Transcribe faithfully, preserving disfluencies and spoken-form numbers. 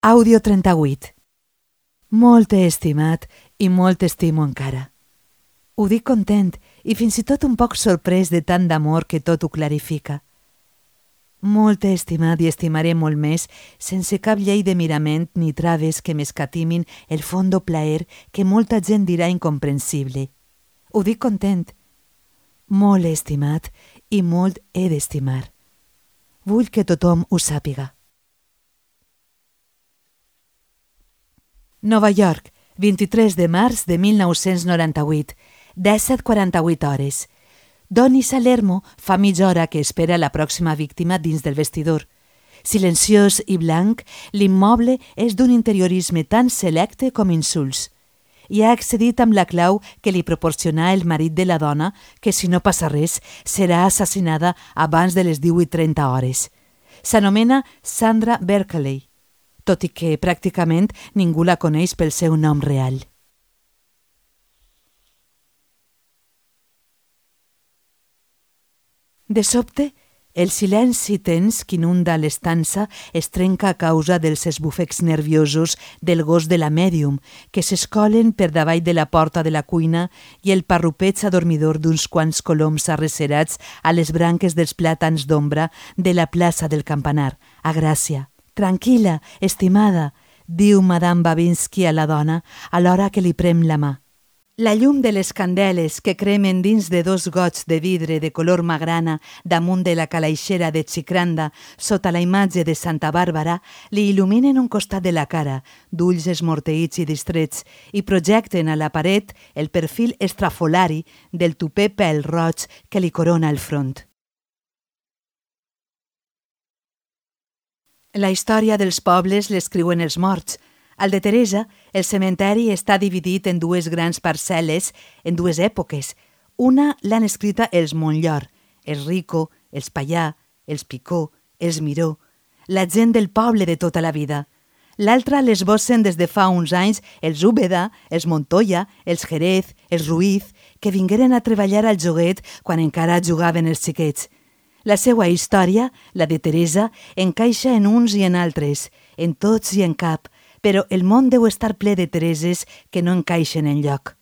Àudio trenta-vuit. Molt t'he estimat i molt t'estimo encara. Ho dic content i fins i tot un poc sorprès de tant d'amor que tot ho clarifica. Molt t'he estimat i estimaré molt més, sense cap llei de mirament ni traves que m'escatimin el fondo plaer que molta gent dirà incomprensible. Ho dic content. Molt he estimat i molt he d'estimar. Vull que tothom ho sàpiga. Nova York, vint-i-tres de març de mil nou-cents noranta-vuit, disset quaranta-vuit hores. Donny Salermo fa mitja hora que espera la pròxima víctima dins del vestidor. Silenciós i blanc, l'immoble és d'un interiorisme tan selecte com insults. I ha accedit amb la clau que li proporcionà el marit de la dona, que si no passa res, serà assassinada abans de les divuit trenta hores. S'anomena Sandra Berkeley, tot i que pràcticament ningú la coneix pel seu nom real. De sobte, el silenci tens que inunda l'estança es trenca a causa dels esbufecs nerviosos del gos de la mèdium, que s'escolen per davall de la porta de la cuina i el parrupeig adormidor d'uns quants coloms arrecerats a les branques dels plàtans d'ombra de la plaça del Campanar, a Gràcia. «Tranquil·la, estimada», diu Madame Babinski a la dona, alhora que li prem la mà. La llum de les candeles que cremen dins de dos gots de vidre de color magrana damunt de la calaixera de xicranda sota la imatge de Santa Bàrbara li il·luminen un costat de la cara, d'ulls esmorteïts i distrets, i projecten a la paret el perfil estrafolari del tupè pèl roig que li corona el front. La història dels pobles l'escriuen els morts. Al de Teresa, el cementeri està dividit en dues grans parcel·les en dues èpoques. Una l'han escrita els Montllor, els Rico, els Pallà, els Picó, els Miró, la gent del poble de tota la vida. L'altra l'esbossen des de fa uns anys els Úbeda, els Montoya, els Jerez, els Ruiz, que vingueren a treballar al joguet quan encara jugaven els xiquets. La seva història, la de Teresa, encaixa en uns i en altres, en tots i en cap, però el món deu estar ple de Tereses que no encaixen enlloc.